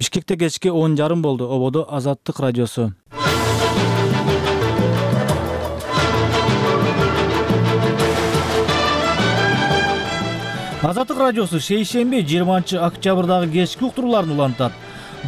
Бишкекте кечки 10:30 болду. Ободо Азаттык радиосу. Азаттык радиосу шейшемби 20-октябрдагы кечки уктурууларын улантат.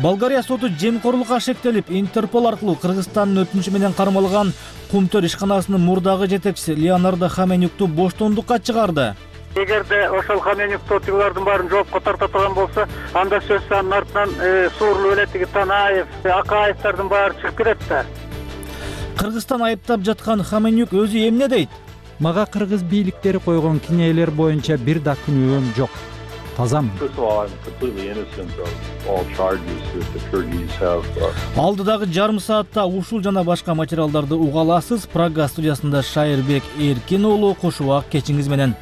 Болгария соту жемкорлукка шектелип, Интерпол аркылуу Кыргызстандын өтүнүчү менен кармалган Кумтөр ишканасынын мурдагы жетекчиси Леонардо Хаменюкту боштондукка чыгарды. Эгерде ошол Хаменюкту тигилердин баарын жоопко тарта турган болсо, анда сөзсүз анын артынан Суурлуу элетиги Танаев, Акаевдардын баары чыгып кетет да. Кыргызстан айыптап жаткан Хаменюк өзү эмне дейт? Мага кыргыз бийликтери койгон кинелер боюнча бир да күнөөм жок. Тазамын. Алдыдагы жарым саатта ушул жана башка материалдарды уга аласыз. Прага студиясында Шайырбек Эркин уулу кош убак кечиңиз менен.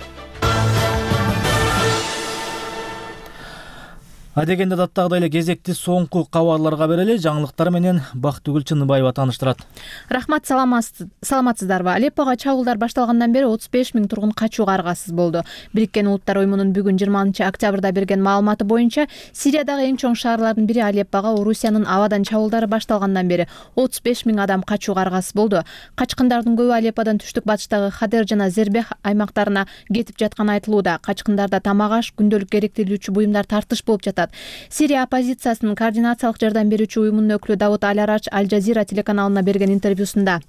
Адегенде даттагыдай эле кезекти соңку кабарларга берели. Жаңылыктар менен Бактыгүл Чыныбаева тааныштырат. Рахмат, саламатсыздарбы? Алеппого чабуулдар башталгандан бери 35 000 тургун качууга аргасыз болду. Бириккен Улуттар уюмунун бүгүн 20-октябрда берген маалыматы боюнча, Сириядагы эң чоң шаарлардын бири Алеппого Орусиянын абадан чабуулдары башталгандан бери 35 000 адам качууга аргасыз болду. Качкындардын көбү Алепподон түштүк батыштагы Хадер жана Зербех аймактарына кетип жатканы айтылууда. Качкындарда тамак аш, күндөлүк керектелүүчү буюмдар тартыш болуп жатат. Сирия оппозициясынын координациялык жардам берүүчү уюмунун өкүлү Давут Аль-Арач Аль-Жазира телеканалына берген интервьюсунда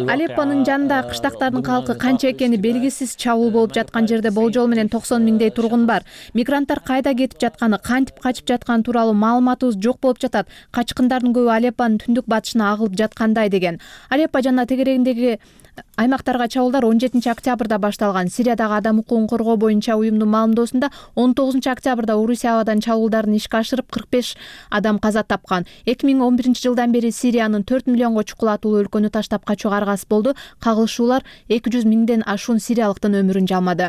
Алеппонун жанындагы кыштактардын калкы канча экени белгисиз, чабуул болуп жаткан жерде болжол менен 90 000 тургун бар. Мигранттар кайда кетип жатканы, кантип качып жатканы тууралуу маалыматыбыз жок болуп жатат. Качкындардын көбү Алеппонун түндүк батышына агылып жаткандай деген. Алеппо жана тегерегиндеги аймактарга чабуулдар 17-октябрда башталган. Сириядагы адам укугун коргоо боюнча уюмдун маалымдоосунда 19-октябрда Орусия абадан чабуулдарын ишке ашырып 45 адам каза тапкан. 2011-жылдан бери Сириянын 4 миллионго чукулатуулуу өлкөнү таштап качууга аргасыз болду. Кагылышуулар 200 000ден ашуун сириялыктын өмүрүн жалмады.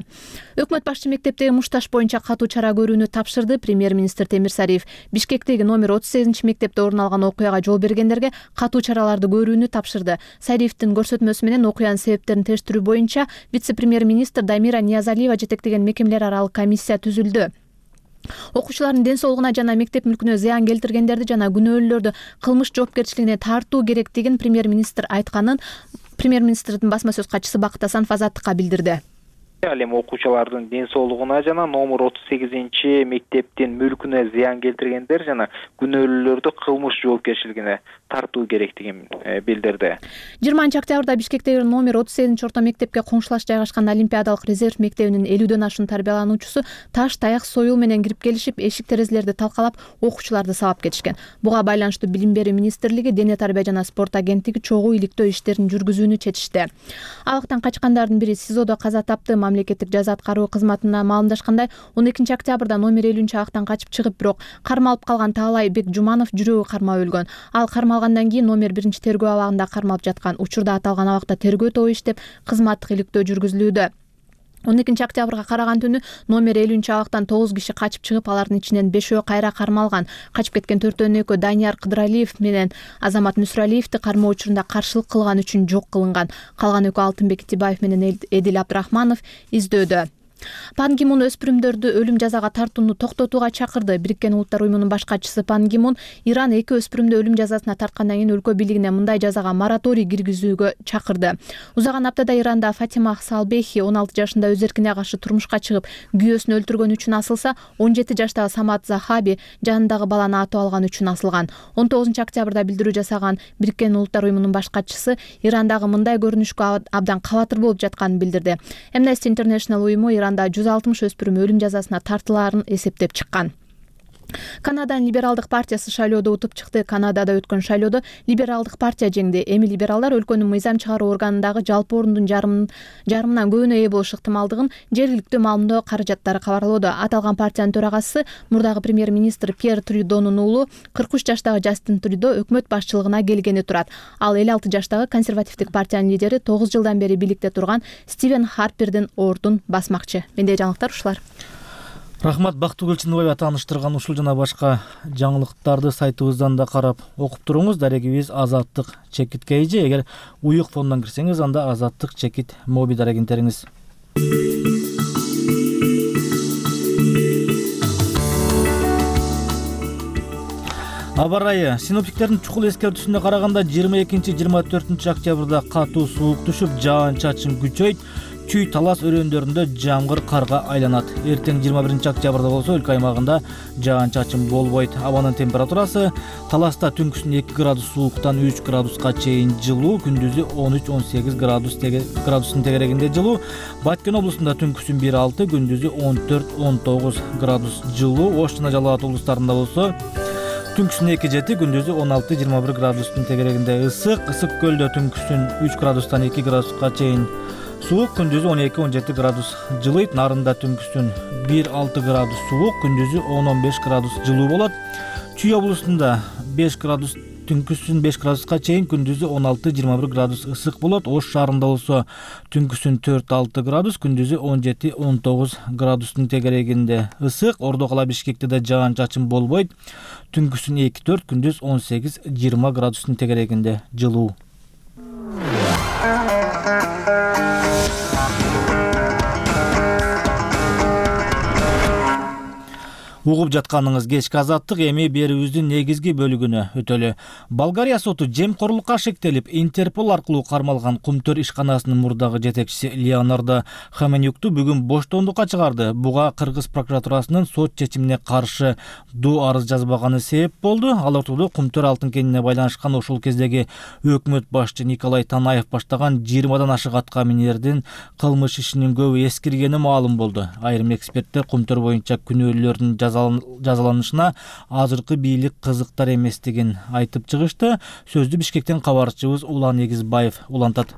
Өкмөт башчы мектептеги мушташ боюнча катуу чара көрүүнү тапшырды. Премьер-министр Темир Сариев Бишкектеги номер 38-мектепте орун алган окуяга жол бергендерге катуу чараларды көрүүнү тапшырды. Сариевдин көрсөтмөсү менен окуянын себептерин тештирүү боюнча вице-премьер-министр Дамира Ниязалиева жетектеген мекемелер аралык комиссия түзүлдү. Окуучулардын ден соолугуна жана мектеп мүлкүнө зыян келтиргендерди жана күнөөлүүлөрдү кылмыш жоопкерчилигине тартуу керектигин премьер-министр айтканын премьер-министрдин басма сөз катчысы Бакыт Асанов Азаттыкка билдирди. Ал эми окуучулардын ден соолугуна жана номер 38-мектептин мүлкүнө зыян келтиргендер жана күнөөлүүлөрдү кылмыш жоопкерчилигине тартуу керектигин билдирди. 20-октябрда Бишкектеги номер 38-орто мектепке коңшулаш жайгашкан Олимпиадалык резерв мектебинин 50дөн ашуун тарбиялануучусу таш, таяк, союл менен кирип келишип, эшик терезелерди талкалап, окуучуларды сабап кетишкен. Буга байланыштуу Билим берүү министрлиги, Дене тарбия жана спорт агенттиги чогуу иликтөө иштерин жүргүзүүнү чечишти. Абактан качкандардын бири СИЗОдо каза тапты. Мамлекеттик жаза аткаруу кызматына маалымдашкандай, 12-октябрда номер 50 абактан качып чыгып, бирок кармалып калган Таалай Бекжуманов жүрөгү кармап өлгөн. Ал кармалгандан кийин номер 1-тергөө абагында кармалып жаткан. Учурда аталган абакта тергөө тобу иштеп, кызматтык иликтөө жүргүзүлүүдө. 12-октябрга караган түнү номер 50 абактан 9 киши качып чыгып, алардын ичинен 5өө кайра кармалган. Качып кеткен 4-өн экөө Данияр Кыдыралиев менен Азамат Мүсүралиевди кармоо учурунда каршылык кылган үчүн жок кылынган. Калган экөө Алтынбек Итибаев менен Эдил Абдрахманов издөдө. Пан Ги Мун өспүрүмдөрдү өлүм жазага тартууну токтотууга чакырды. Бириккен Улуттар уюмунун баш катчысы Пан Ги Мун Иран 2 өспүрүмдү өлүм жазасына тарткандан кийин өлкө бийлигине мындай жазага мораторий киргизүүгө чакырды. Узаган аптада Иранда Фатима Салбехи 16 жашында өз эркине каршы турмушка чыгып, күйөөсүн өлтүргөн үчүн асылса, 17 жаштагы Самат Захаби жанындагы баланы атып алган үчүн асылган. 19-октябрда билдирүү жасаган Бириккен Улуттар уюмунун баш катчысы Ирандагы мындай көрүнүшкө абдан кабатыр болуп жатканын билдирди. Amnesty International уюму 160 өспүрүм өлүм жазасына тартылаарын эсептеп чыккан. Канаданын либералдык партиясы шайлоодо утуп чыкты. Канадада өткөн шайлоодо либералдык партия жеңди. Эми либералдар өлкөнүн мыйзам чыгаруу органындагы жалпы ордун жарымынан көбүнө ээ болуш ыктымалдыгын жергиликтүү маалымдоо каражаттары кабарлоодо. Аталган партиянын төрагасы мурдагы премьер-министр Пьер Трюдонун уулу 43 жаштагы Жастин Трюдо өкмөт башчылыгына келгени турат. Ал 56 жаштагы консервативдик партиянын лидери 9 жылдан бери бийликте турган Стивен Харпердин ордун басмакчы. Менде жаңылыктар ушулар. Рахмат, Бактыгүл Чыныбаева тааныштырган ушул жана башка жаңылыктарды сайтыбыздан да карап окуп туруңуз. Дарегибиз Азаттык чекит кейжи. Эгер уюк фондон кирсеңиз, анда Азаттык чекит моби дарегин териңиз. Аба ырайы синоптиктердин чукул эскертүүсүнө караганда 22-24 октябрда катуу суук түшүп, жаан-чачын күчөйт, чүй талас өрөөндөрүндө жамгыр карга айланат. Эртең 21 октябрда болсо өлкө аймагында жаан-чачын болбойт. Абанын температурасы таласта түнкүсүн 2 градус сууктан 3 градуска чейин жылуу, күндүзү 13-18 градустун тегерегинде жылуу. Баткен облусунда түнкүсүн 1-6, күндүзү 14-19 градус жылуу. Ош жана Жалал Абад облустарында болсо түнкүсүн 2-7, күндүзү 16-21 градустун тегерегинде ысык. Ысык көлдө түнкүсүн 3 градустан 2 градуска чейин суук, күндүзү 12-17 градус жылыйт. Нарында түнкүсүн 1-6 градус суук, күндүзү 10-15 градус жылуу болот. Чүй облусунда 5 градус түнкүсүн 5 градуска чейин, күндүзү 16-21 градус ысык болот. Ош шаарында болсо түнкүсүн 4-6 градус, күндүзү 17-19 градустун тегерегинде ысык. Ордо кала Бишкекте да жаан-чачын болбойт. Түнкүсүн 2-4, күндүз 18-20 градустун тегерегинде жылуу. Угуп жатканыңыз кечки азаттык, эми берүүбүздүн негизги бөлүгүнө өтөлү. Болгария соту жемкорлукка шектелип, Интерпол аркылуу кармалган Кумтөр ишканасынын мурдагы жетекчиси Леонардо Хоменюкту бүгүн боштондукка чыгарды. Буга Кыргыз прокуратурасынын сот чечимине каршы доо арыз жазбаганы себеп болду. Ал ортодо Кумтөр алтын кенине байланышкан ошол кездеги өкмөт башчы Николай Танаев баштаган 20дан ашык атка минердин кылмыш ишинин көбү эскиргени маалым болду. Айрым эксперттер Кумтөр боюнча күнөөлүүлөрдүн жазаланышына азыркы бийлик кызыктар эместигин айтып чыгышты. Сөздү Бишкектен кабарчыбыз Улан Эгизбаев улантат.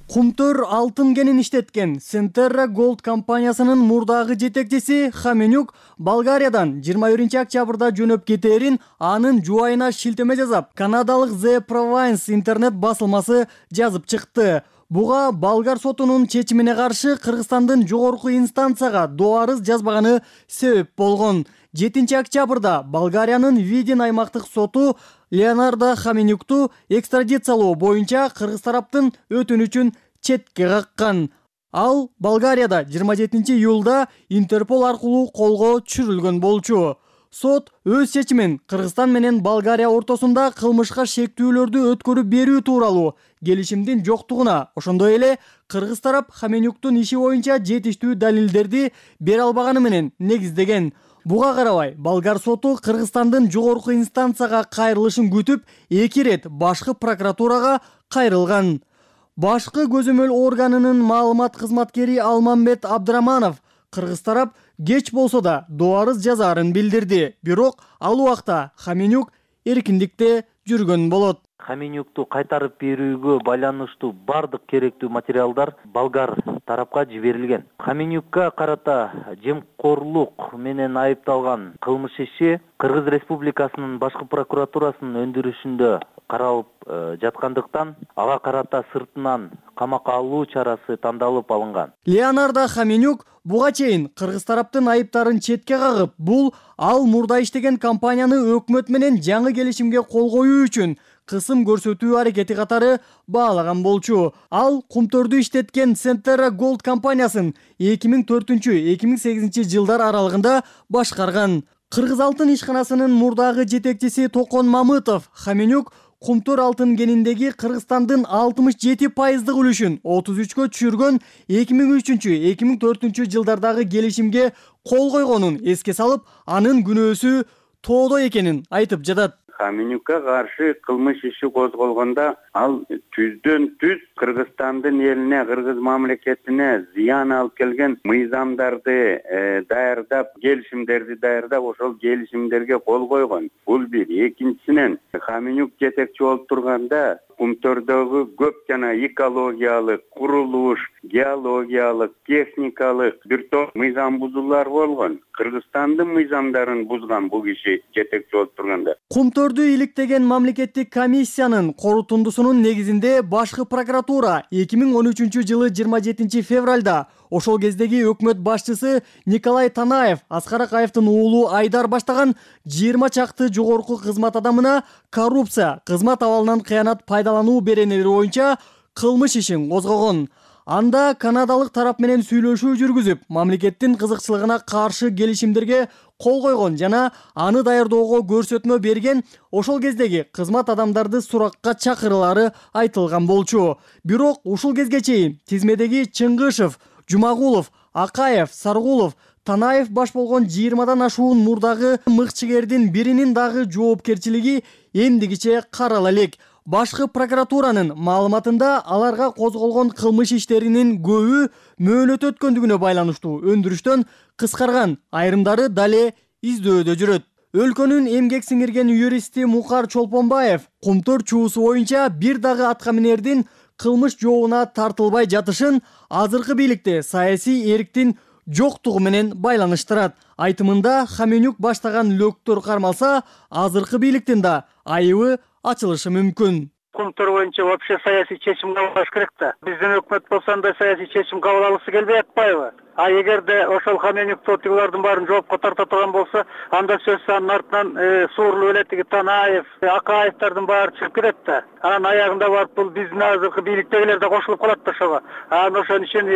Кумтөр алтын кенин иштеткен Centerra Gold компаниясынын мурдагы жетекчиси Хоменюк Болгариядан 21 октябрда жөнөп кетээрин анын жубайына шилтеме жасап, канадалык The Province интернет басылмасы жазып чыкты. Буга болгар сотунун чечимине каршы Кыргызстандын жогорку инстанцияга доо арыз жазбаганы себеп болгон. 7 октябрда Болгариянын Видин аймактык соту Леонардо Хоменюкту экстрадициялоо боюнча кыргыз тараптын өтүнүчүн четке каккан. Ал Болгарияда 27 июлда Интерпол аркылуу колго түшүрүлгөн болчу. Сот өз чечимин Кыргызстан менен Болгария ортосунда кылмышка шектүүлөрдү өткөрүп берүү тууралуу келишимдин жоктугуна, ошондой эле кыргыз тарап Хоменюктун иши боюнча жетиштүү далилдерди бере албаганы менен негиздеген. Буга карабай, болгар соту Кыргызстандын жогорку инстанцияга кайрылышын күтүп, 2 рет башкы прокуратурага кайрылган. Башкы көзөмөл органынын маалымат кызматкери Алмамбет Абдыраманов кыргыз тарап кеч болсо да доо арыз жазаарын билдирди. Бирок ал убакта Хоменюк эркиндикте жүргөн болот. Хоменюкту кайтарып берүүгө байланыштуу бардык керектүү материалдар болгар тарапка жиберилген. Хоменюкка карата жемкорлук менен айыпталган кылмыш иши Кыргыз Республикасынын башкы прокуратурасынын өндүрүшүндө каралып жаткандыктан ага карата сыртынан камакка алуу чарасы тандалып алынган. Леонардо Хоменюк буга чейин кыргыз тараптын айыптарын четке кагып, бул ал мурда иштеген компанияны өкмөт менен жаңы келишимге кол коюу үчүн кысым көрсөтүү аракети катары баалаган болчу. Ал Кумтөрдү иштеткен Centerra Gold компаниясын 2004-2008 жылдар аралыгында башкарган. Кыргыз алтын ишканасынын мурдагы жетекчиси Токон Мамытов Хоменюк Кумтөр алтын кениндеги Кыргызстандын 67% үлүшүн 33кө түшүргөн 2003-2004 жылдардагы келишимге кол койгонун эске салып, анын күнөөсү тоодо экенин айтып жатат. Хоменюкка каршы кылмыш иши козголгондо ал түздөн түз Кыргызстандын элине, кыргыз мамлекетине зыян алып келген мыйзамдарды даярдап, келишимдерди даярдап, ошол келишимдерге кол койгон. Бул бир. Экинчисинен Хоменюк жетекчи болуп турганда Кумтөрдөгү көп жана экологиялык, курулуш, геологиялык, техникалык бир топ мыйзам бузуулар болгон. Кыргызстандын мыйзамдарын бузган бул киши жетекчи болуп турганда. Кумтөрдү иликтеген мамлекеттик комиссиянын корутундусунун негизинде башкы прокуратура 2013 жылы 27 февралда ошол кездеги өкмөт башчысы Николай Танаев, Аскар Акаевдин уулу Айдар баштаган 20 чакты жогорку кызмат адамына коррупция, кызмат абалынан кыянат пайдалануу беренелери боюнча кылмыш ишин козгогон. Анда канадалык тарап менен сүйлөшүү жүргүзүп, мамлекеттин кызыкчылыгына каршы келишимдерге кол койгон жана аны даярдоого көрсөтмө берген ошол кездеги кызмат адамдарды суракка чакырылары айтылган болчу. Бирок ушул кезге чейин тизмедеги Чыңгышев, Жумагулов, Акаев, Саргулов, Танаев баш болгон 20дан ашуун мурдагы мыкчыгердин биринин дагы жоопкерчилиги эмдигиче карала элек. Башкы прокуратуранын маалыматында аларга козголгон кылмыш иштеринин көбү мөөнөт өткөндүгүнө байланыштуу өндүрүштөн кыскарган, айрымдары дале издөөдө жүрөт. Өлкөнүн эмгек сиңирген юристи Мукар Чолпонбаев Кумтөр чуусу боюнча бир дагы аткаминердин кылмыш жообуна тартылбай жатышын азыркы бийликте саясий эриктин жоктугу менен байланыштырат. Айтымында Хаменюк баштаган лөктөр кармалса, азыркы бийликтин да айыбы ачылышы мүмкүн. Кумтөр боюнча вообще саясий чечим кабыл алыш керек да. Биздин өкмөт болсо андай саясий чечим кабыл алгысы келбей атпайбы? А эгерде ошол Хаменюкту тигилердин баарын жоопко тарта турган болсо, анда сөзсүз анын артынан Суурлуу элетиги Танаев, Акаевдардын баары чыгып кетет да. Анан аягында барып бул биздин азыркы бийликтегилер да кошулуп калат да ошого. Анан ошон үчүн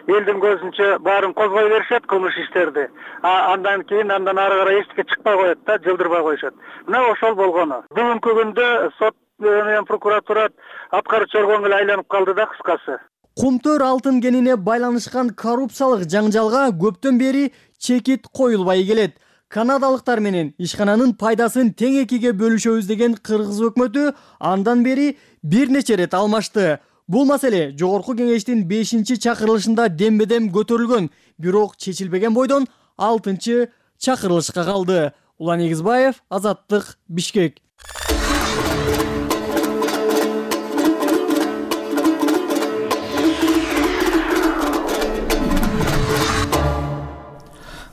элдин көзүнчө баарын козгой беришет кылмыш иштерди. Андан кийин андан ары карай эчтеке чыкпай коет да, жылдырбай коюшат. Мына ошол болгону. Бүгүнкү күндө сот менен прокуратура аткарчу орган эле айланып калды да кыскасы. Кумтөр алтын кенине байланышкан коррупциялык жаңжалга көптөн бери чекит коюлбай келет. Канадалыктар менен ишкананын пайдасын тең экиге бөлүшөбүз деген кыргыз өкмөтү андан бери бир нече ирет алмашты. Бул маселе жогорку кеңештин 5-чакырылышында дембедем көтөрүлгөн, бирок чечилбеген бойдон 6-чакырылышка калды. Улан Эгизбаев, Азаттык, Бишкек.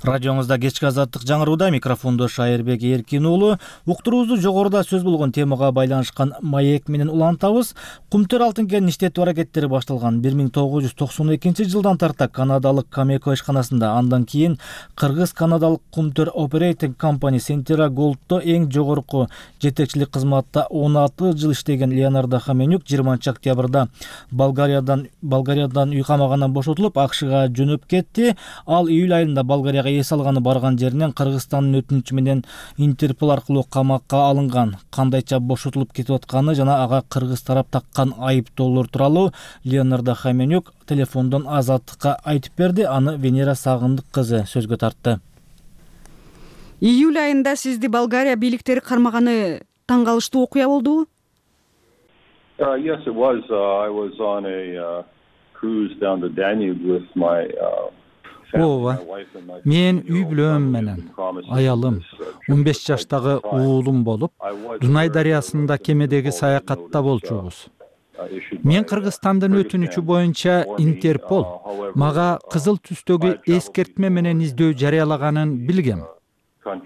Радиоңузда кечки азаттык жаңырууда, микрофондо Шайырбек Эркин уулу. Уктуруубузду жогоруда сөз болгон темага байланышкан маек менен улантабыз. Кумтөр алтын кенин иштетүү аракеттери башталган 1992-жылдан тарта канадалык Камеко ишканасында, андан кийин кыргыз-канадалык Кумтөр Operating Company Centera Gold'то эң жогорку жетекчилик кызматта 16 жыл иштеген Леонардо Хаменюк 20-октябрда Болгариядан үй камагынан бошотулуп, АКШга жөнөп кетти. Ал июль айында Болгарияга эс алганы барган жеринен Кыргызстандын өтүнүчү менен Интерпол аркылуу камакка алынган. Кандайча бошотулуп кетип атканы жана ага кыргыз тарап таккан айыптоолор тууралуу Леонардо Хаменюк телефондон Азаттыкка айтып берди. Аны Венера Сагындык кызы сөзгө тартты. Июль айында сизди Болгария бийликтери кармаганы таң калыштуу окуя болдубу? Yes, it was. I was on a cruise down the Danube with my Ооба, мен үй бүлөм менен, аялым, 15 жаштагы уулум болуп, Дунай дарыясында кемедеги саякатта болчубуз. Мен Кыргызстандын өтүнүчү боюнча Интерпол мага кызыл түстөгү эскертме менен издөө жарыялаганын билгем.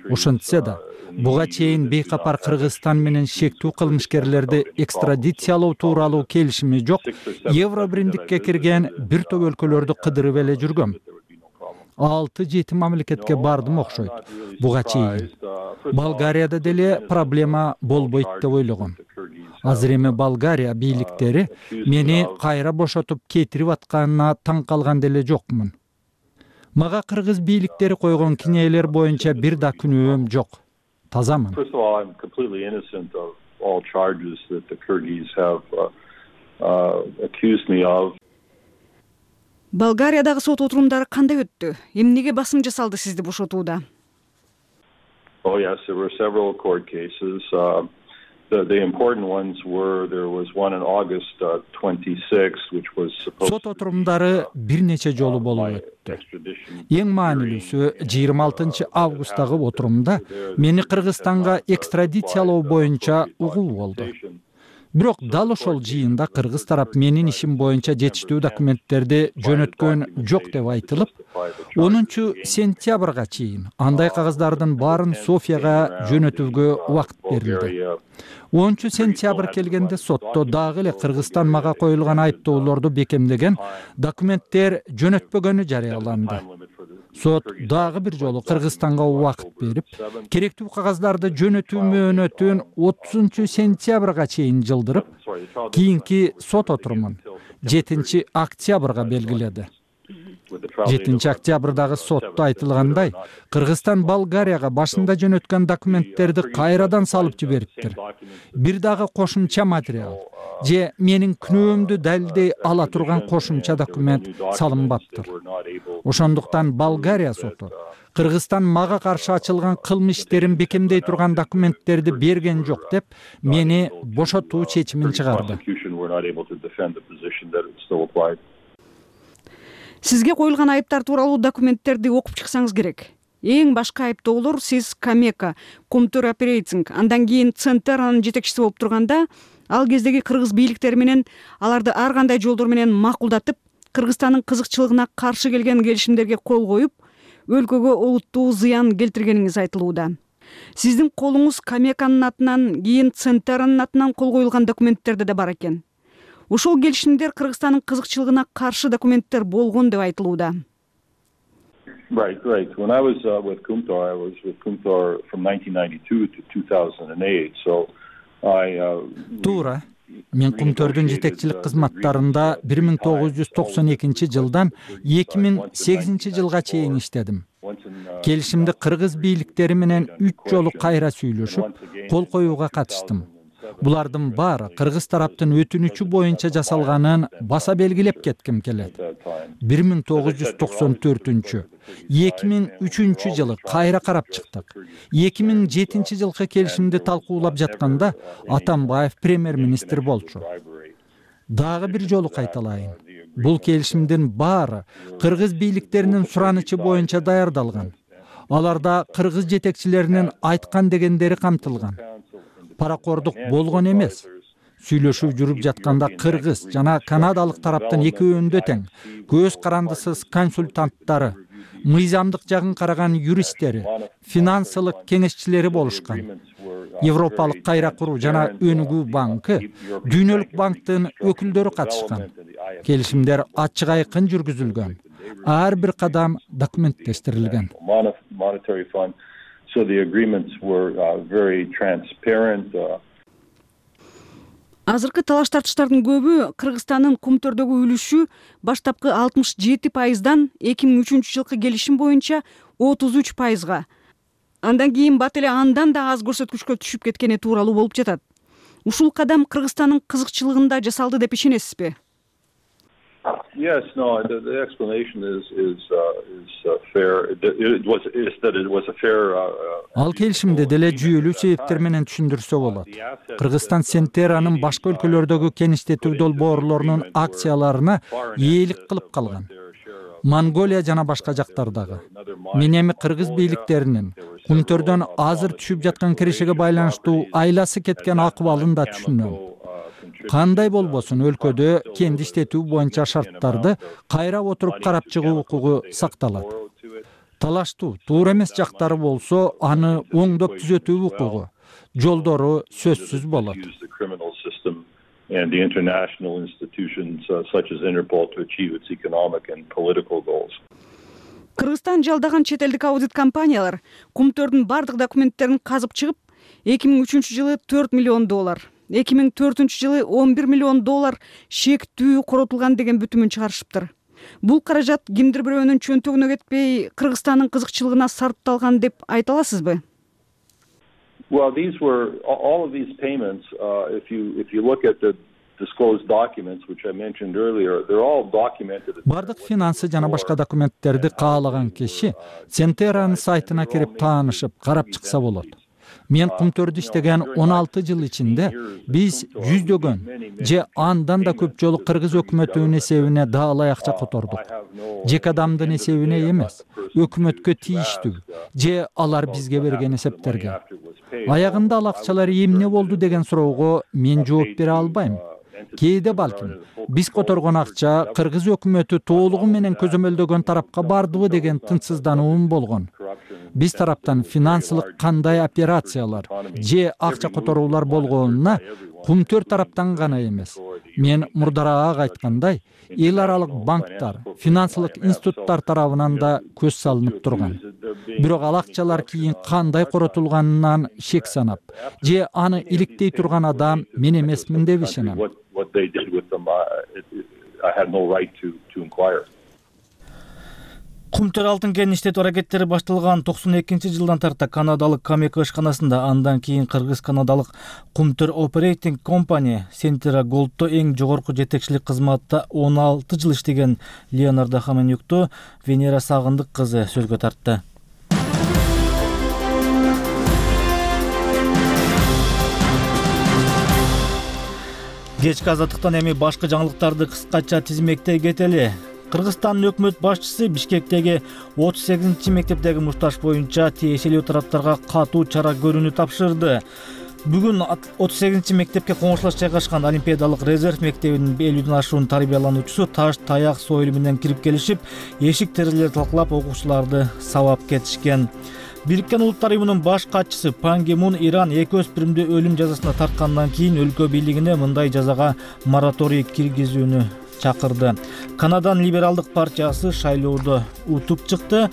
Ошентсе да, буга чейин бейкапар Кыргызстан менен шектүү кылмышкерлерди экстрадициялоо тууралуу келишими жок, Евробиримдикке кирген бир топ өлкөлөрдү кыдырып эле жүргөм. 6-7 мамлекетке бардым окшойт. Буга чейин Болгарияда деле проблема болбойт деп ойлогом. Азыр эми Болгария бийликтери мени кайра бошотуп кетирип атканына таң калган деле жокмун. Мага кыргыз бийликтери койгон кинелер боюнча бир да күнөөм жок. Тазамын. First of all, I'm completely innocent of all charges that the Kyrgyz have accused me of. Болгариядагы сот отурумдары кандай өттү? Эмнеге басым жасалды сизди бошотууда? Oh yes, there were several court cases. The important ones were there was one in August 26, which was supposed. Сот отурумдары бир нече жолу болуп өттү. Эң маанилүүсү 26 августтагы отурумда мени Кыргызстанга экстрадициялоо боюнча угуу болду. Бирок дал ошол жыйында кыргыз тарап менин ишим боюнча жетиштүү документтерди жөнөткөн жок деп айтылып, 10-сентябрга чейин андай кагаздардын баарын Софияга жөнөтүүгө убакыт берилди. 10-сентябрь келгенде сотто дагы эле Кыргызстан мага коюлган айыптоолорду бекемдеген документтер жөнөтпөгөнү жарыяланды. Сот дагы бир жолу Кыргызстанга убакыт берип, керектүү кагаздарды жөнөтүү мөөнөтүн 30-сентябрга чейин жылдырып, кийинки сот отурумун 7-октябрга белгиледи. 7 октябрдагы сотто айтылгандай, Кыргызстан Болгарияга башында жөнөткөн документтерди кайрадан салып жибериптир. Бир дагы кошумча материал же менин күнөөмдү далилдей ала турган кошумча документ салынбаптыр. Ошондуктан Болгария соту Кыргызстан мага каршы ачылган кылмыш иштерин бекемдей турган документтерди берген жок деп мени бошотуу чечимин чыгарды. Сизге коюлган айыптар тууралуу документтерди окуп чыксаңыз керек. Эң башкы айыптоолор сиз Камека, Кумтөр Оперейтинг, андан кийин Центеранын жетекчиси болуп турганда, ал кездеги кыргыз бийликтери менен аларды ар кандай жолдор менен макулдатып, Кыргызстандын кызыкчылыгына каршы келген келишимдерге кол коюп, өлкөгө олуттуу зыян келтиргениңиз айтылууда. Сиздин колуңуз Камеканын атынан, кийин Центеранын атынан кол коюлган документтерде да бар экен. Ушул келишимдер Кыргызстандын кызыкчылыгына каршы документтер болгон деп айтылууда. Right. When I was with Kumtor, I was with Kumtor from 1992 to 2008. So Туура. Мен Кумтөрдүн жетекчилик кызматтарында 1992 жылдан 2008 жылга чейин иштедим. Келишимди кыргыз бийликтери менен 3 жолу кайра сүйлөшүп, кол коюуга катыштым. Булардын баары кыргыз тараптын өтүнүчү боюнча жасалганын баса белгилеп кетким келет. 1994, 2003 жылы кайра карап чыктык. 2007 жылкы келишимди талкуулап жатканда Атамбаев премьер-министр болчу. Дагы бир жолу кайталайын. Бул келишимдин баары кыргыз бийликтеринин суранычы боюнча даярдалган. Аларда кыргыз жетекчилеринин айткан дегендери камтылган. Паракордук болгон эмес. Сүйлөшүү жүрүп жатканда кыргыз жана канадалык тараптын экөөндө тең көз карандысыз консультанттары, мыйзамдык жагын караган юристтери, финансылык кеңешчилери болушкан. Европалык кайра куруу жана Өнүгүү банкы, Дүйнөлүк банктын өкүлдөрү катышкан. Келишимдер ачык айкын жүргүзүлгөн. Ар бир кадам документтештирилген. So the agreements were very transparent. Азыркы талаш тартыштардын көбү Кыргызстандын Кумтөрдөгү үлүшү баштапкы 67%дан 2003 жылкы келишим боюнча 33%га. Андан кийин бат эле андан да аз көрсөткүчкө түшүп кеткени тууралуу болуп жатат. Ушул кадам Кыргызстандын кызыкчылыгында жасалды деп ишенесизби? Yes, no. The explanation is fair. It was a fair. Ал келишимди деле жүйөлүү себептер менен түшүндүрсө болот. Кыргызстан Центеранын башка өлкөлөрдөгү кеңиштетүү долбоорлорунун акцияларына ээлик кылып калган. Монголия жана башка жактардагы. Мен эми кыргыз бийликтеринин Кумтөрдөн азыр түшүп жаткан киришеге байланыштуу айласы кеткен акыбалын да түшүнөм. Кандай болбосун өлкөдө кенди иштетүү боюнча шарттарды кайра отуруп карап чыгуу укугу сакталат. Талаштуу, туура эмес жактары болсо, аны оңдоп түзөтүү укугу, жолдору сөзсүз болот. And the international institutions such as Interpol to achieve its economic and political goals. Кыргызстан жалдаган чет элдик аудит компаниялар Кумтөрдүн бардык документтерин казып чыгып, 2003 жылы $4 миллион, 2004 жылы $11 миллион шектүү коротулган деген бүтүмүн чыгарышыптыр. Бул каражат кимдир бирөөнүн чөнтөгүнө кетпей, Кыргызстандын кызыкчылыгына сарпталган деп айта аласызбы? Well, all of these payments. If you look at the disclosed documents, which I mentioned earlier, they're all documented. Бардык финансы жана башка документтерди каалаган киши Центеранын сайтына кирип таанышып, карап чыкса болот. Мен Кумтөрдө иштеген 16 жыл ичинде биз жүздөгөн же андан да көп жолу кыргыз өкмөтүнүн эсебине даалай акча котордук. Жеке адамдын эсебине эмес, өкмөткө тийиштүү же алар бизге берген эсептерге. Аягында ал акчалар эмне болду деген суроого мен жооп бере албайм. Кээде балким биз которгон акча кыргыз өкмөтү толугу менен көзөмөлдөгөн тарапка бардыбы деген тынчсыздануум болгон. Биз тараптан финансылык кандай операциялар же акча которуулар болгонуна Кумтөр тараптан гана эмес. Мен мурдараак айткандай, эл аралык банктар, финансылык институттар тарабынан да көз салынып турган. Бирок ал акчалар кийин кандай коротулганынан шек санап, же аны иликтей турган адам мен эмесмин деп ишенем. Кумтөр алтын кенин иштетүү аракеттери башталган 92-жылдан тарта канадалык Камека ишканасында, андан кийин кыргыз-канадалык Кумтөр Operating Company Centera Gold'то эң жогорку жетекчилик кызматта 16 жыл иштеген Леонардо Хаменюкту Венера Сагындык кызы сөзгө тартты. Кечки азаттыктан эми башка жаңылыктарды кыскача тизмектей кетели. Кыргызстандын өкмөт башчысы Бишкектеги 38-мектептеги мушташ боюнча тиешелүү тараптарга катуу чара көрүүнү тапшырды. Бүгүн 38-мектепке коңшулаш жайгашкан Олимпиадалык резерв мектебинин 50ден ашуун тарбиялануучусу таш, таяк, сойыл менен кирип келишип, эшик терезелерди талкалап окуучуларды сабап кетишкен. Бириккен Улуттар уюмунун баш катчысы Пан Ги Мун Иран 2 өспүрүмдү өлүм жазасына тарткандан кийин өлкө бийлигине мындай жазага мораторий киргизүүнү чакырды. Канаданын либералдык партиясы шайлоодо утуп чыкты.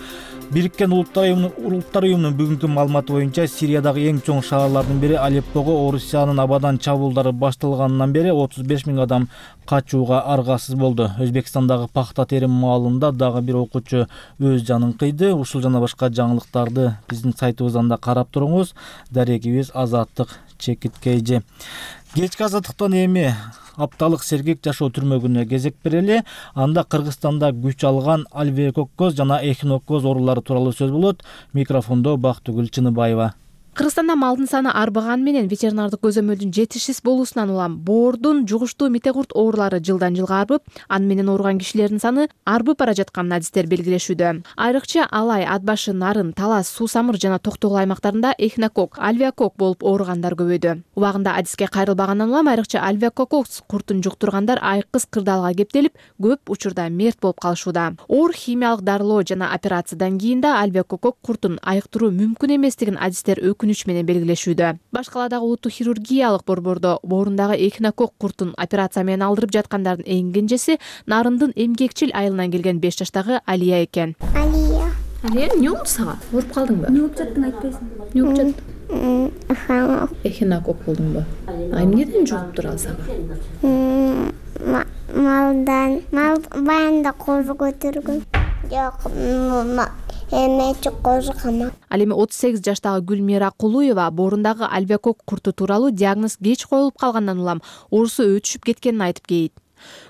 Бириккен Улуттар уюмунун бүгүнкү маалыматы боюнча Сириядагы эң чоң шаарлардын бири Алеппого Орусиянын абадан чабуулдары башталгандан бери 35 000 адам качууга аргасыз болду. Өзбекстандагы пахта терим маалында дагы бир окуучу өз жанын кыйды. Ушул жана башка жаңылыктарды биздин сайтыбыздан да карап туруңуз. Дарегибиз Азаттык Чекиткейжи. Кечки азаттыктан эми апталык сергек жашоо түрмөгүнө кезек берели. Анда Кыргызстанда күч алган альвеококкоз жана эхиноккоз оорулары тууралуу сөз болот. Микрофондо Бактыгүл Чыныбаева. Кыргызстанда малдын саны арбаганы менен ветеринардык көзөмөлдүн жетишсиз болуусунан улам боордун жугуштуу митекурт оорулары жылдан жылга арбып, аны менен ооруган кишилердин саны арбып бара жатканын адистер белгилешүүдө. Айрыкча Алай, Ат башы, Нарын, Талас, Суу самыр жана Токтогул аймактарында эхинокок, альвеокок болуп ооругандар көбөйдү. Убагында адиске кайрылбагандан улам айрыкча альвеококкоз куртун жуктургандар айкыз кырдаалга кептелип, көп учурда мерт болуп калышууда. Оор химиялык дарылоо жана операциядан кийин да альвеококок куртун айыктыруу мүмкүн эместигин адистер менен белгилешүүдө. Башкаладагы улуттук хирургиялык борбордо боорундагы эхинокок куртун операция менен алдырып жаткандардын эң кенжеси Нарындын эмгекчил айылынан келген 5 жаштагы Алия экен. Алия, эмне болду сага? Ооруп калдыңбы? Эмне болуп жаттың айтпайсың? Эмне болуп жаттың? Эхинокок болдуңбу? Эмнеден жугуп туралы сага? Малдан. Мал баянда козу көтөргөн. Жок, Ал эми 38 жаштагы Гүлмира Кулуева боорундагы альвеокок курту тууралуу диагноз кеч коюлуп калгандан улам оорусу өтүшүп кеткенин айтып кейт.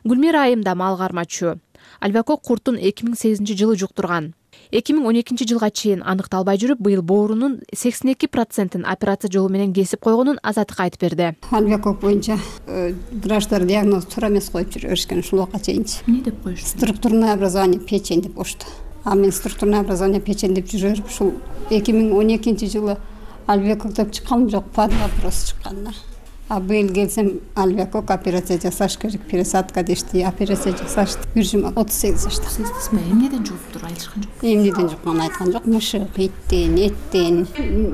Гүлмира айымда мал кармачу. Альвеокок куртун 2008-жылы жуктурган. 2012 жылга чейин аныкталбай жүрүп, быйыл боорунун 82%-ин операция жолу менен кесип койгонун Азаттыкка айтып берди. Альвеокок боюнча врачтар диагноз туура эмес коюп жүрүшкөн ушул убакка чейинчи. Эмне деп коюшту? Структурное образование печень деп коюшту. Мен структурное образование печень деп жүрүп, ушул 2012-жылы альвеокок деп чыкканым жок, под вопрос чыккан. Быйыл келсем альвеокок операция жасаш керек, пересадка дешти, операция жасашты. Биржим 38 жашта. Эмнеден жугуптур айтышкан жок? Эмнеден жукканын айткан жок. Мышык, иттен, эттен.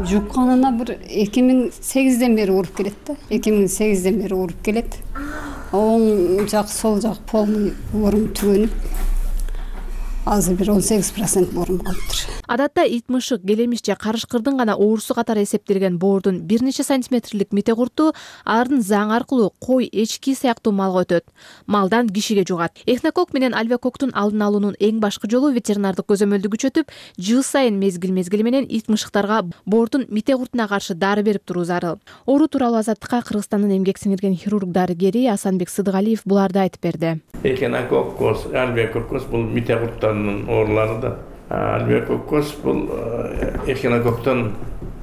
Жукканына бир 2008-ден бери ооруп келет да. 2008-ден бери ооруп келет. Оң жак, сол жак полный оорум түгөнүп. Азыр бир 18% боорум калыптыр. Адатта ит, мышык, келемиш же карышкырдын гана оорусу катары эсептелген боордун бир нече сантиметрлик митекурту алардын заң аркылуу кой, эчки сыяктуу малга өтөт. Малдан кишиге жугат. Эхинокок менен альвеококтун алдын алуунун эң башкы жолу ветеринардык көзөмөлдү күчөтүп, жыл сайын мезгил менен ит, мышыктарга боордун митекуртуна каршы дары берип туруу зарыл. Оору тууралуу Азаттыкка Кыргызстандын эмгек сиңирген хирург дарыгери Асанбек Сыдыгалиев буларды айтып берди. Эхинококкоз, альвеококкоз бул митекурттардын оорулары да. Альвеококкоз бул эхинококтон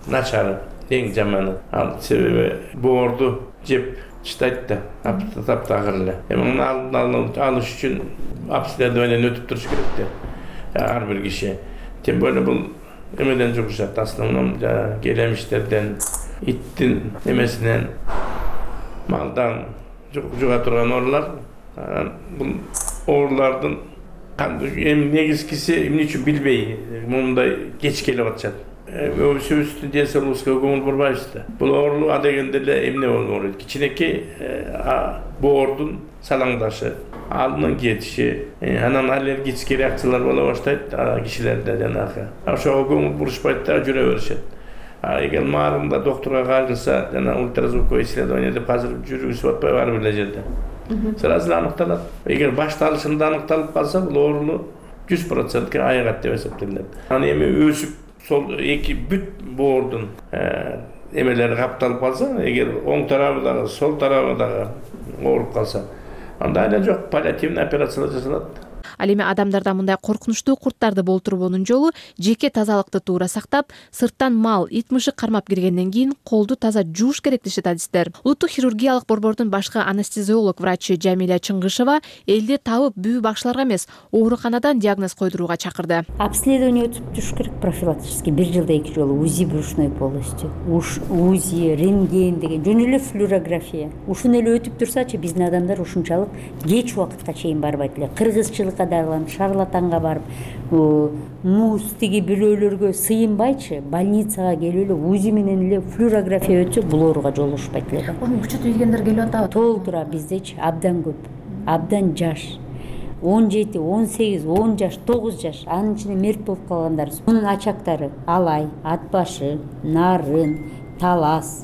начары, эң жаманы. Себеби боорду жеп чытайт да, таптагыр эле. Муну алдын алыш үчүн обследованиеден өтүп туруш керек да. Ар бир киши. Тем более бул эмеден жугушат, основном келемиштерден, иттин эмесинен, малдан жуга турган оорулар. Бул оорулардын эми негизгиси эмне үчүн билбей мындай кеч келип атышат. Өбүсүбүздүн ден соолугубузга көңүл бурбайбыз да. Бул оору адегенде эле эмне болот? Кичинекей боордун салаңдашы, алдын кетиши, анан аллергический реакциялар боло баштайт кишилерде жанагы. Ошого көңүл бурушпайт да, жүрө беришет. Эгер маарында докторго кайрылса, жана ультразвуковой исследование деп азыр жүргүзүп атпайбы ар бир жерде. Сразу аныкталат. Эгер башталышында аныкталып калса, бул ооруну 100% айыгат деп эсептелет. Аны эми өсүп сол эки бүт боордун эмелери капталып калса, эгер оң тарабы дагы, сол тарабы дагы ооруп калса, анда эле жок, паллиативный операциялар жасалат. Ал эми адамдарда мындай коркунучтуу курттарды болтурбоонун жолу жеке тазалыкты туура сактап, сырттан мал, ит мышык кармап киргенден кийин колду таза жууш керек дешет адистер. Улуттук хирургиялык борбордун башкы анестезиолог врачы Жамиля Чыңгышева элди табып бүү бакчыларга эмес, ооруканадан диагноз койдурууга чакырды. Обследование өтүп туруш керек профилактически, бир жылда 2 жолу УЗИ брюшной полости, УЗИ, рентген деген, жөн эле флюорография. Ушуну эле өтүп турсачы биздин адамдар ушунчалык кеч убакытка чейин барбайт эле. Кыргызчылыкка дагы шарлатанга барып, муз тиги бирөөлөргө сыйынбайчы, больницага келип эле УЗИ менен эле флюорография өтсө бул оорууга жолугушпайт эле. Күчөтүп келгендер келип атабы? Толтура биздечи абдан көп, абдан жаш. 17, 18, 10 жаш, 9 жаш, анын ичинде мерт болуп калгандар. Мунун ачактары алай, ат башы, нарын, талас,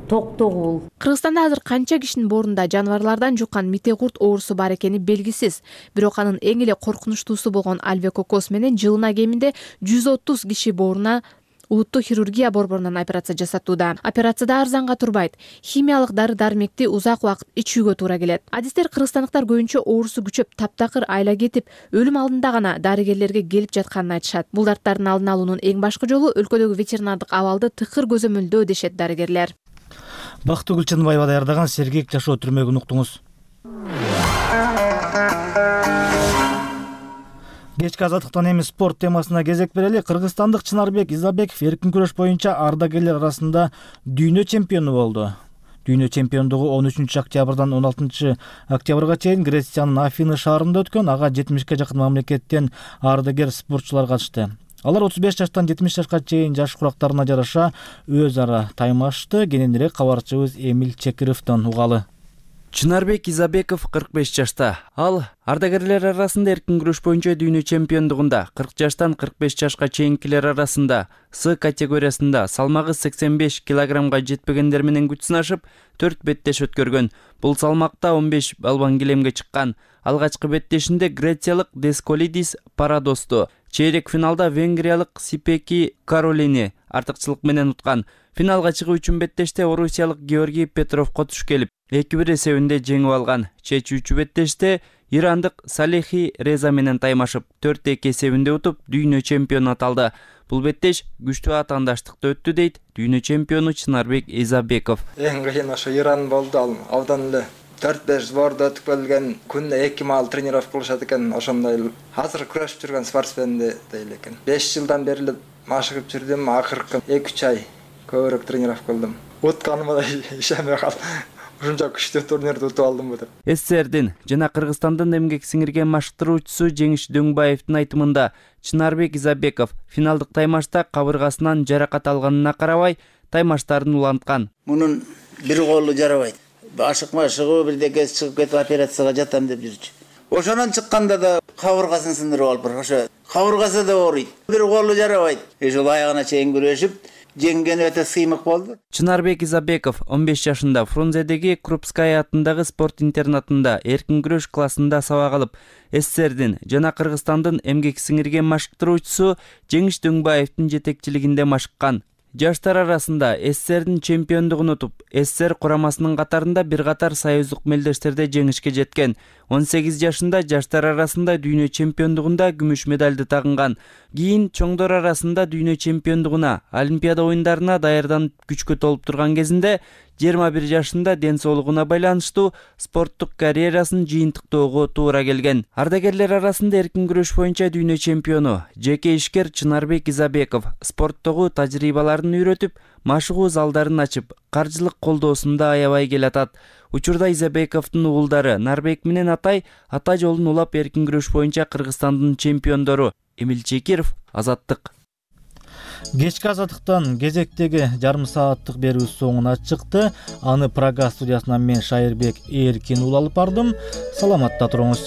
токтогул. Кыргызстанда азыр канча кишинин боорунда жаныбарлардан жуккан митекурт оорусу бар экени белгисиз. Бирок анын эң эле коркунучтуусу болгон альвекокоз менен жылына кеминде 130 киши бооруна улуттук хирургия борборунан операция жасатууда. Операция да арзанга турбайт. Химиялык дары-дармекти узак убакыт ичүүгө туура келет. Адистер кыргызстандыктар көбүнчө оорусу күчөп, таптакыр айла кетип, өлүм алдында гана дарыгерлерге келип жатканын айтышат. Бул дарттардын алдын алуунун эң башкы жолу өлкөдөгү ветеринардык абалды тыкыр көзөмөлдөө дешет дарыгерлер. Бактыгүл Чынбаева даярдаган Сергек жашоо түрмөгүн уктуңуз. Кечки азаттыктан эми спорт темасына кезек берели. Кыргызстандык Чынарбек Изабеков эркин күрөш боюнча ардагерлер арасында дүйнө чемпиону болду. Дүйнө чемпиондугу 13 октябрдан 16 октябрга чейин Грециянын Афины шаарында өткөн. Ага 70ке жакын мамлекеттен ардагер спортчулар катышты. Алар 35 жаштан 70 жашка чейин жаш курактарына жараша өз ара таймашты. Кененирээк кабарчыбыз Эмил Чекировдон угалы. Чынарбек Изабеков 45 жашта. Ал ардагерлер арасында эркин күрөш боюнча дүйнө чемпиондугунда 40 жаштан 45 жашка чейинкилер арасында С категориясында салмагы 85 килограммга жетпегендер менен күч сынашып 4 беттеш өткөргөн. Бул салмакта 15 балбан килемге чыккан. Алгачкы беттешинде грециялык Десколидис Парадосту, чейрек финалда венгриялык Сипеки Каролини артыкчылык менен уткан. Финалга чыгуу үчүн беттеште орусиялык Георгий Петровго туш келип, 2-1 эсебинде жеңип алган. Чечүүчү беттеште ирандык Салихи Реза менен таймашып 4-2 эсебинде утуп дүйнө чемпиону аталды. Бул беттеш күчтүү атаандаштыкты өттү дейт дүйнө чемпиону Чынарбек Изабеков. Эң кыйын ошо Иран болду, ал абдан эле 4-5 сборду өтүп келген, күндө 2 маал тренировка кылышат экен, ошондой азыр күрөшүп жүргөн спортсменди дейли экен. 5 жылдан бери эле машыгып жүрдүм, акыркы 2-3 ай көбүрөөк тренировка кылдым. Утканыма да ишенбей калдым. Ушунча күчтүү турнирди утуп алдым деп. СССРдин жана Кыргызстандын эмгек сиңирген машыктыруучусу Жеңиш Дөңбаевдин айтымында Чынарбек Изабеков финалдык таймашта кабыргасынан жаракат алганына карабай таймаштарын уланткан. Мунун бир колу жарабайт. Ашык-машыгы бирдекеси чыгып кетип операцияга жатам деп жүрчү. Ошонон чыкканда да кабыргасын сындырып алып, ошо кабыргасы да ооруйт. Бир колу жарабайт. Ошол аягына чейин күрөшүп жеңген өтө сыймык болду. Чынарбек Изабеков 15 жашында Фрунзедеги Крупская атындагы спорт интернатында эркин күрөш классында сабак алып, СССРдин жана Кыргызстандын эмгек сиңирген машыктыруучусу Жеңиш Дөңбаевдин жетекчилигинде машыккан. Жаштар арасында СССРдин чемпиондугун утуп, СССР курамасынын катарында бир катар союздук мелдештерде жеңишке жеткен. 18 жашында жаштар арасында дүйнө чемпиондугунда күмүш медалды тагынган. Кийин чоңдор арасында дүйнө чемпиондугуна, Олимпиада оюндарына даярданып күчкө толуп турган кезинде 21 жашында ден соолугуна байланыштуу спорттук карьерасын жыйынтыктоого туура келген. Ардагерлер арасында эркин күрөш боюнча дүйнө чемпиону, жеке ишкер Чынарбек Изабеков спорттогу тажрыйбаларын үйрөтүп, машыгуу залдарын ачып, каржылык колдоосунда аябай келатат. Учурда Изабековдун уулдары Нарбек менен Атай ата жолун улап эркин күрөш боюнча Кыргызстандын чемпиондору. Эмил Чекиров, Азаттык. Кечки азаттыктан кезектеги жарым сааттык берүү соңуна чыкты. Аны Прага студиясынан мен Шайырбек Эркин улалып бардым. Саламатта туруңуз.